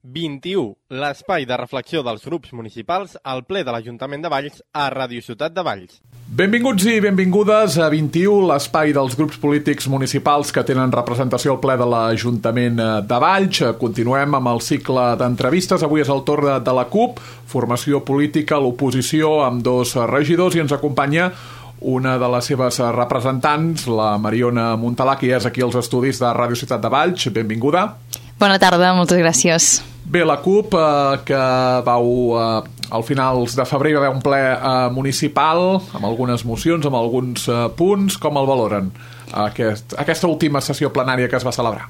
21, l'espai de reflexió dels grups municipals al ple de l'Ajuntament de Valls a Ràdio Ciutat de Valls. Benvinguts i benvingudes a 21, l'espai dels grups polítics municipals que tenen representació al ple de l'Ajuntament de Valls. Continuem amb el cicle d'entrevistes. Avui és el torn de la CUP, formació política, l'oposició, amb dos regidors, i ens acompanya una de les seves representants, la Mariona Montalà, que és aquí als estudis de Ràdio Ciutat de Valls. Benvinguda. Bona tarda, moltes gràcies. Bé, la CUP, que vau al finals de febrer va haver un ple municipal amb algunes mocions, amb alguns punts. Com el valoren aquesta última sessió plenària que es va celebrar?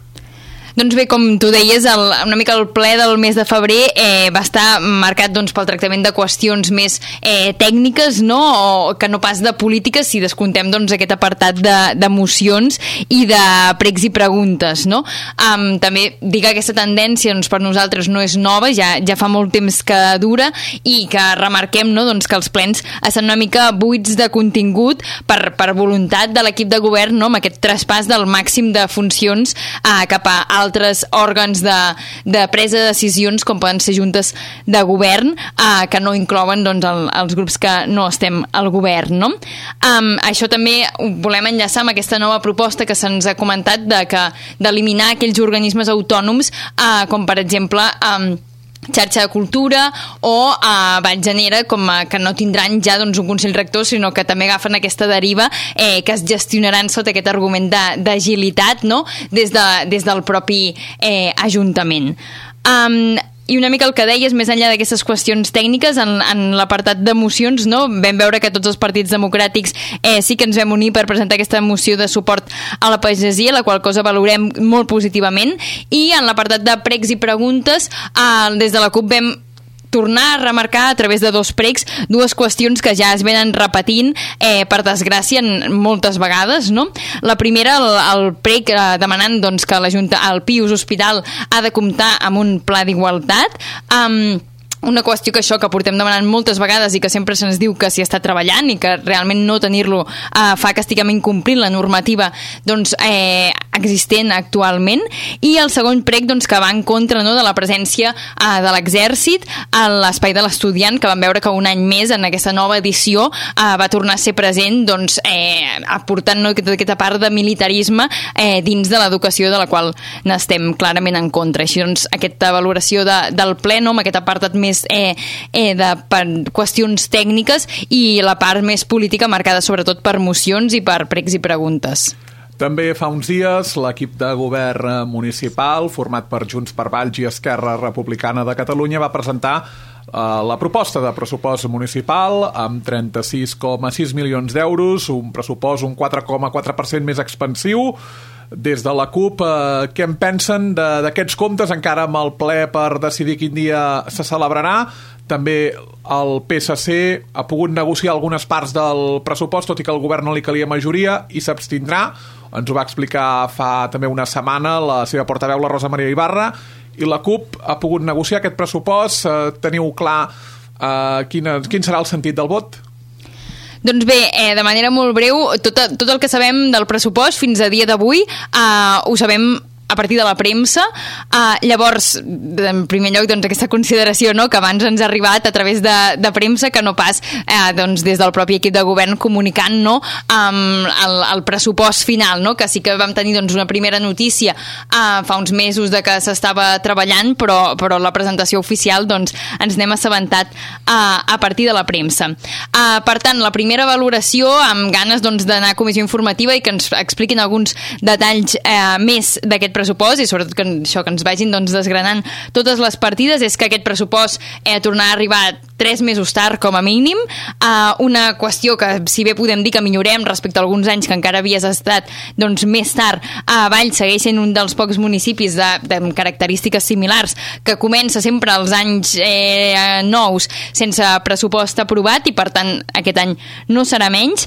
Doncs bé, com tu deies, una mica el ple del mes de febrer va estar marcat pel tractament de qüestions més tècniques, no? O que no pas de polítiques, si descontem aquest apartat de mocions i de pregs i preguntes, no? També dir que aquesta tendència per nosaltres no és nova, ja fa molt temps que dura, i que remarquem que els plens estan una mica buits de contingut per voluntat de l'equip de govern, no? Amb aquest traspàs del màxim de funcions cap a altres òrgans de presa de decisions, com poden ser juntes de govern, que no inclouen els grups que no estem al govern, no? Això també ho volem enllaçar amb aquesta nova proposta que se'ns ha comentat d'eliminar aquells organismes autònoms, com per exemple xarxa de cultura o Vallgenera, que no tindran ja un Consell Rector, sinó que també agafen aquesta deriva que es gestionaran sota aquest argument d'agilitat, no? des del propi Ajuntament. I una mica el que deies, més enllà d'aquestes qüestions tècniques, en l'apartat de mocions, no? Vam veure que tots els partits democràtics sí que ens vam unir per presentar aquesta moció de suport a la pagesia, la qual cosa valorem molt positivament, i en l'apartat de pregs i preguntes, des de la CUP vam tornar a remarcar a través de dos pregs dues qüestions que ja es venen repetint, per desgràcia, moltes vegades, no? La primera, el preg demanant que el Pius Hospital ha de comptar amb un pla d'igualtat, una qüestió que portem demanant moltes vegades i que sempre se'ns diu que s'hi està treballant i que realment no tenir-lo fa que estiguem incomplint la normativa existent actualment. I el segon prec que va en contra, no, de la presència de l'exèrcit a l'espai de l'estudiant, que vam veure que un any més en aquesta nova edició va tornar a ser present, aportant aquesta part de militarisme dins de l'educació, de la qual n'estem clarament en contra. Així aquesta valoració del ple, no, amb aquest apartat més per qüestions tècniques i la part més política marcada sobretot per mocions i per pregs i preguntes. També fa uns dies l'equip de govern municipal, format per Junts per Valls i Esquerra Republicana de Catalunya, va presentar la proposta de pressupost municipal amb 36,6 milions d'euros, un pressupost un 4,4% més expansiu. Des de la CUP, què en pensen d'aquests comptes, encara amb el ple per decidir quin dia se celebrarà? També el PSC ha pogut negociar algunes parts del pressupost, tot i que al govern no li calia majoria, i s'abstindrà. Ens ho va explicar fa també una setmana la seva portaveu, la Rosa Maria Ibarra, i la CUP ha pogut negociar aquest pressupost. Teniu clar quin serà el sentit del vot? Doncs bé, de manera molt breu, tot el que sabem del pressupost fins a dia d'avui ho sabem a partir de la premsa. Llavors, en primer lloc, aquesta consideració, no?, que abans ens ha arribat a través de premsa, que no pas des del propi equip de govern comunicant, no, el pressupost final, no?, que sí que vam tenir una primera notícia fa uns mesos de que s'estava treballant, però la presentació oficial ens n'hem assabentat a partir de la premsa. Per tant, la primera valoració, amb ganes d'anar a comissió informativa i que ens expliquin alguns detalls més d'aquest pressupost, i sobretot que ens vagin desgranant totes les partides, és que aquest pressupost tornarà a arribar 3 mesos tard com a mínim, una qüestió que si bé podem dir que millorem respecte a alguns anys que encara havies estat més tard, a Valls segueix sent un dels pocs municipis de característiques similars que comença sempre als anys nous sense pressupost aprovat, i per tant aquest any no serà menys.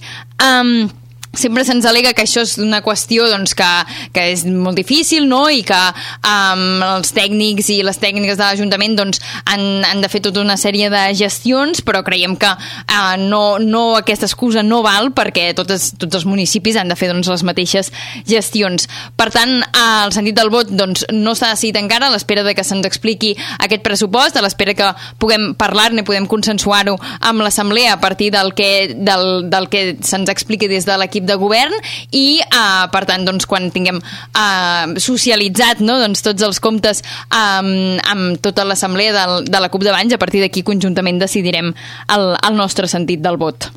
sempre se'ns al·lega que això és una qüestió doncs, que és molt difícil, no? I que els tècnics i les tècniques de l'Ajuntament doncs, han de fer tota una sèrie de gestions, però creiem que no aquesta excusa no val perquè tots els municipis han de fer doncs, les mateixes gestions. Per tant, el sentit del vot doncs, no s'ha decidit encara, a l'espera de que se'ns expliqui aquest pressupost, a l'espera que puguem parlar-ne i podem consensuar-ho amb l'Assemblea a partir del que se'ns expliqui des de l'equip de govern i per tant doncs, quan tinguem socialitzat no, doncs, tots els comptes amb tota l'assemblea de la CUP de Valls, a partir d'aquí conjuntament decidirem el nostre sentit del vot.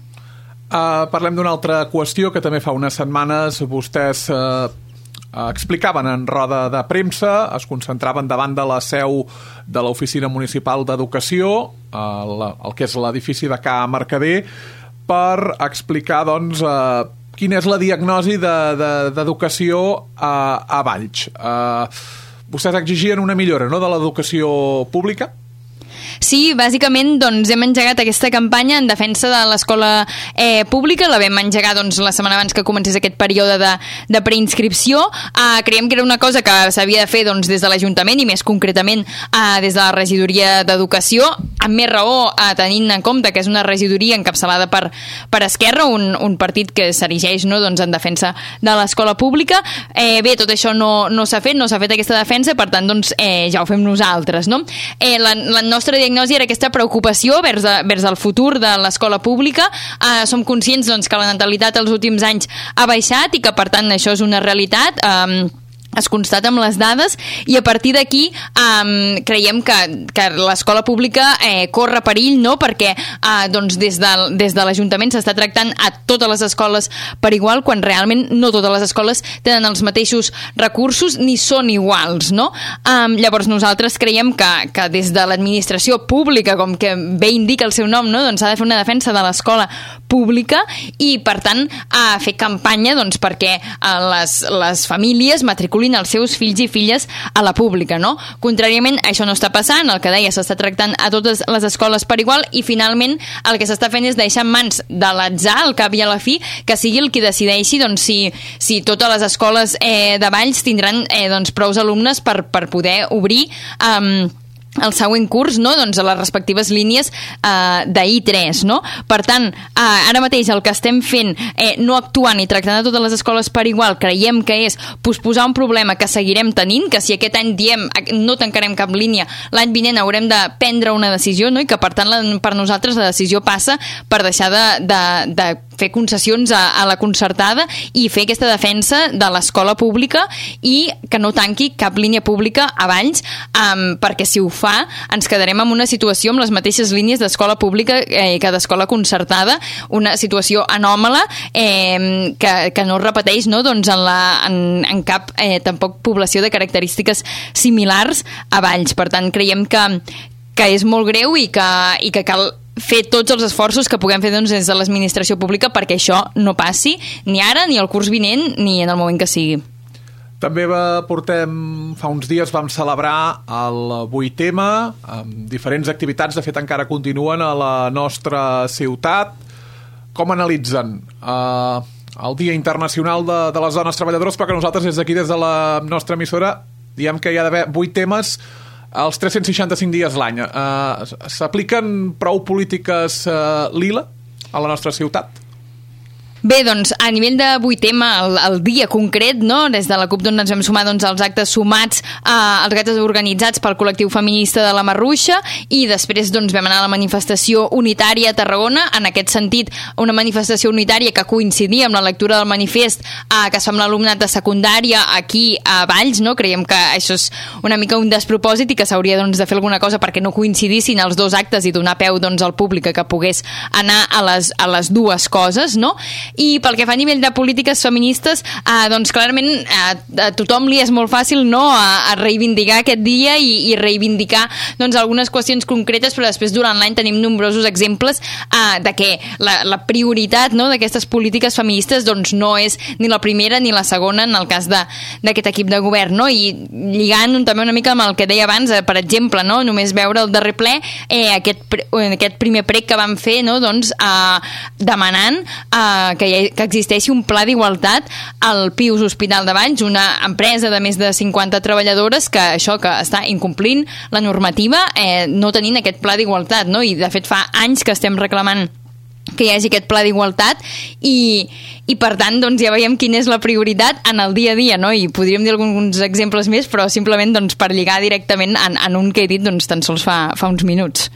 Parlem d'una altra qüestió que també fa unes setmanes vostès explicaven en roda de premsa, es concentraven davant de la seu de l'Oficina Municipal d'Educació, el que és l'edifici de Ca Mercader, per explicar doncs quina és la diagnosi d'educació a Valls. Vostès exigien una millora, no?, de l'educació pública? Sí, bàsicament doncs, hem engegat aquesta campanya en defensa de l'escola pública, la vam engegar doncs, la setmana abans que comencés aquest període de preinscripció. Creiem que era una cosa que s'havia de fer doncs, des de l'Ajuntament i més concretament des de la regidoria d'Educació, amb més raó tenint en compte que és una regidoria encapçalada per Esquerra, un partit que s'erigeix no, doncs, en defensa de l'escola pública. Bé, tot això no s'ha fet, no s'ha fet aquesta defensa, per tant doncs, ja ho fem nosaltres. No? La nostra diagnosi era aquesta preocupació vers el futur de l'escola pública. Som conscients doncs, que la natalitat els últims anys ha baixat i que per tant això és una realitat. Es constata amb les dades i a partir d'aquí creiem que l'escola pública corre perill, no? Perquè doncs des de l'Ajuntament s'està tractant a totes les escoles per igual, quan realment no totes les escoles tenen els mateixos recursos ni són iguals, no? Llavors nosaltres creiem que des de l'administració pública, com que bé indica el seu nom, no? Doncs s'ha de fer una defensa de l'escola pública i per tant fer campanya doncs, perquè les famílies matriculin els seus fills i filles a la pública, no? Contràriament, això no està passant, el que deia, s'està tractant a totes les escoles per igual i finalment el que s'està fent és deixar en mans de l'atzar, al cap i a la fi, que sigui el qui decideixi doncs, si totes les escoles de Valls tindran doncs, prous alumnes per poder obrir el següent curs, no? Doncs a les respectives línies d'I3, no? Per tant, ara mateix el que estem fent, no actuant i tractant a totes les escoles per igual, creiem que és posposar un problema que seguirem tenint, que si aquest any diem no tancarem cap línia, l'any vinent haurem de prendre una decisió, no? I que per tant per nosaltres la decisió passa per deixar de fer concessions a la concertada i fer aquesta defensa de l'escola pública i que no tanqui cap línia pública a Valls, perquè si ho fa ens quedarem en una situació amb les mateixes línies d'escola pública que d'escola concertada, una situació anòmala que no es repeteix, no? Doncs en cap tampoc població de característiques similars a Valls. Per tant, creiem que és molt greu i que cal fer tots els esforços que puguem fer doncs, des de l'administració pública perquè això no passi ni ara, ni el curs vinent, ni en el moment que sigui. També fa uns dies vam celebrar el 8M amb diferents activitats, de fet encara continuen a la nostra ciutat. Com analitzen el Dia Internacional de les Dones Treballadores, perquè nosaltres des d'aquí, des de la nostra emissora, diem que hi ha d'haver 8 temes els 365 dies l'any. S'apliquen prou polítiques lila a la nostra ciutat? Bé, doncs, a nivell de 8M, el dia concret, no? Des de la CUP ens vam sumar doncs, als actes sumats, als actes organitzats pel col·lectiu feminista de la Marruixa i després doncs, vam anar a la manifestació unitària a Tarragona. En aquest sentit, una manifestació unitària que coincidia amb la lectura del manifest que es fa amb l'alumnat de secundària aquí a Valls, no? Creiem que això és una mica un despropòsit i que s'hauria doncs, de fer alguna cosa perquè no coincidissin els dos actes i donar peu doncs, al públic que pogués anar a les dues coses, no? I pel que fa a nivell de polítiques feministes, doncs clarament a tothom li és molt fàcil, no?, a reivindicar aquest dia i reivindicar doncs, algunes qüestions concretes, però després durant l'any tenim nombrosos exemples de que la prioritat, no?, d'aquestes polítiques feministes doncs, no és ni la primera ni la segona en el cas d'aquest equip de govern, no? I lligant també una mica amb el que deia abans, per exemple, no?, només veure el darrer ple, aquest primer prec que vam fer, no?, doncs, demanant que existeixi un pla d'igualtat al Pius Hospital de Valls, una empresa de més de 50 treballadores que està incomplint la normativa, no tenint aquest pla d'igualtat, no? I de fet fa anys que estem reclamant que hi hagi aquest pla d'igualtat i per tant doncs, ja veiem quina és la prioritat en el dia a dia, no? I podríem dir alguns exemples més, però simplement doncs, per lligar directament en un que he dit doncs, tan sols fa uns minuts.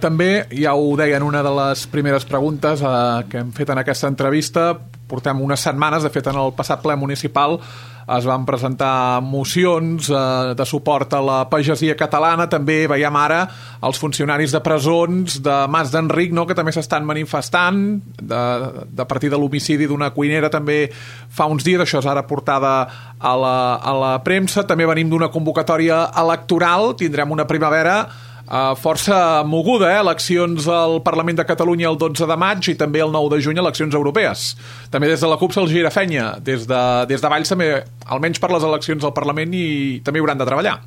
També, ja ho deia en una de les primeres preguntes que hem fet en aquesta entrevista, portem unes setmanes, de fet en el passat ple municipal es van presentar mocions de suport a la pagesia catalana. També veiem ara els funcionaris de presons de Mas d'Enric, no?, que també s'estan manifestant de partir de l'homicidi d'una cuinera també fa uns dies. Això és ara portada a la premsa. També venim d'una convocatòria electoral, tindrem una primavera força moguda, eleccions al Parlament de Catalunya el 12 de maig i també el 9 de juny eleccions europees. També des de la CUP se'ls gira fenya, des de Valls també, almenys per les eleccions al Parlament, i també hauran de treballar.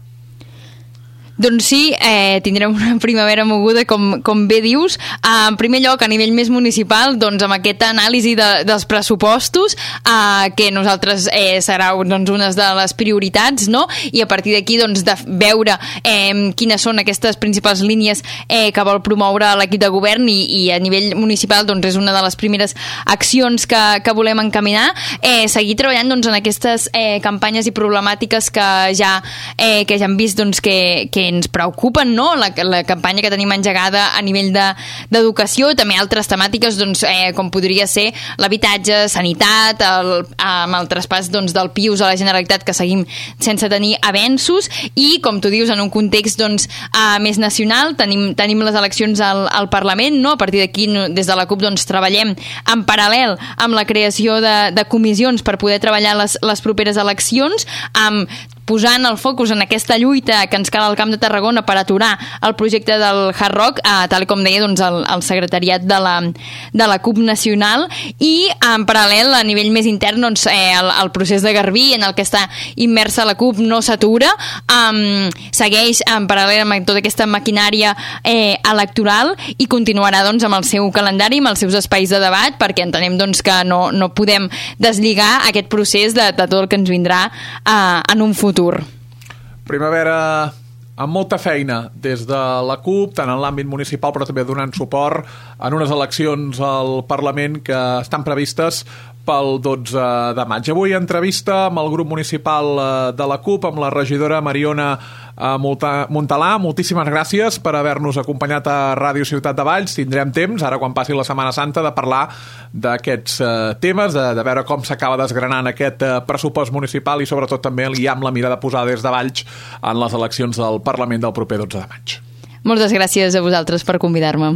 Doncs sí, tindrem una primavera moguda, com bé dius. En primer lloc, a nivell més municipal, doncs amb aquesta anàlisi dels pressupostos, que nosaltres serà doncs, una de les prioritats, no? I a partir d'aquí doncs, de veure quines són aquestes principals línies que vol promoure l'equip de govern i a nivell municipal doncs, és una de les primeres accions que volem encaminar. Seguir treballant doncs, en aquestes campanyes i problemàtiques que ja hem vist doncs, que ens preocupen, no? La campanya que tenim engegada a nivell d'educació, també altres temàtiques doncs, com podria ser l'habitatge, sanitat, amb el traspàs doncs, del Pius a la Generalitat, que seguim sense tenir avenços, i com tu dius, en un context doncs, més nacional, tenim les eleccions al Parlament, no? A partir d'aquí des de la CUP doncs, treballem en paral·lel amb la creació de comissions per poder treballar les properes eleccions, posant el focus en aquesta lluita que ens cal al Camp de Tarragona per aturar el projecte del Hard Rock, tal com deia doncs, el secretariat de la CUP nacional, i en paral·lel a nivell més intern doncs, el procés de Garbí en el que està immersa la CUP no s'atura, segueix en paral·lel amb tota aquesta maquinària electoral i continuarà doncs, amb el seu calendari, amb els seus espais de debat, perquè entenem doncs, que no podem deslligar aquest procés de tot el que ens vindrà en un futur. Primavera amb molta feina des de la CUP, tant en l'àmbit municipal però també donant suport en unes eleccions al Parlament que estan previstes pel 12 de maig. Avui entrevista amb el grup municipal de la CUP, amb la regidora Mariona Montalà. Moltíssimes gràcies per haver-nos acompanyat a Ràdio Ciutat de Valls. Tindrem temps, ara quan passi la Setmana Santa, de parlar d'aquests temes, de veure com s'acaba desgranant aquest pressupost municipal i sobretot també ja amb la mirada posada des de Valls en les eleccions del Parlament del proper 12 de maig. Moltes gràcies a vosaltres per convidar-me.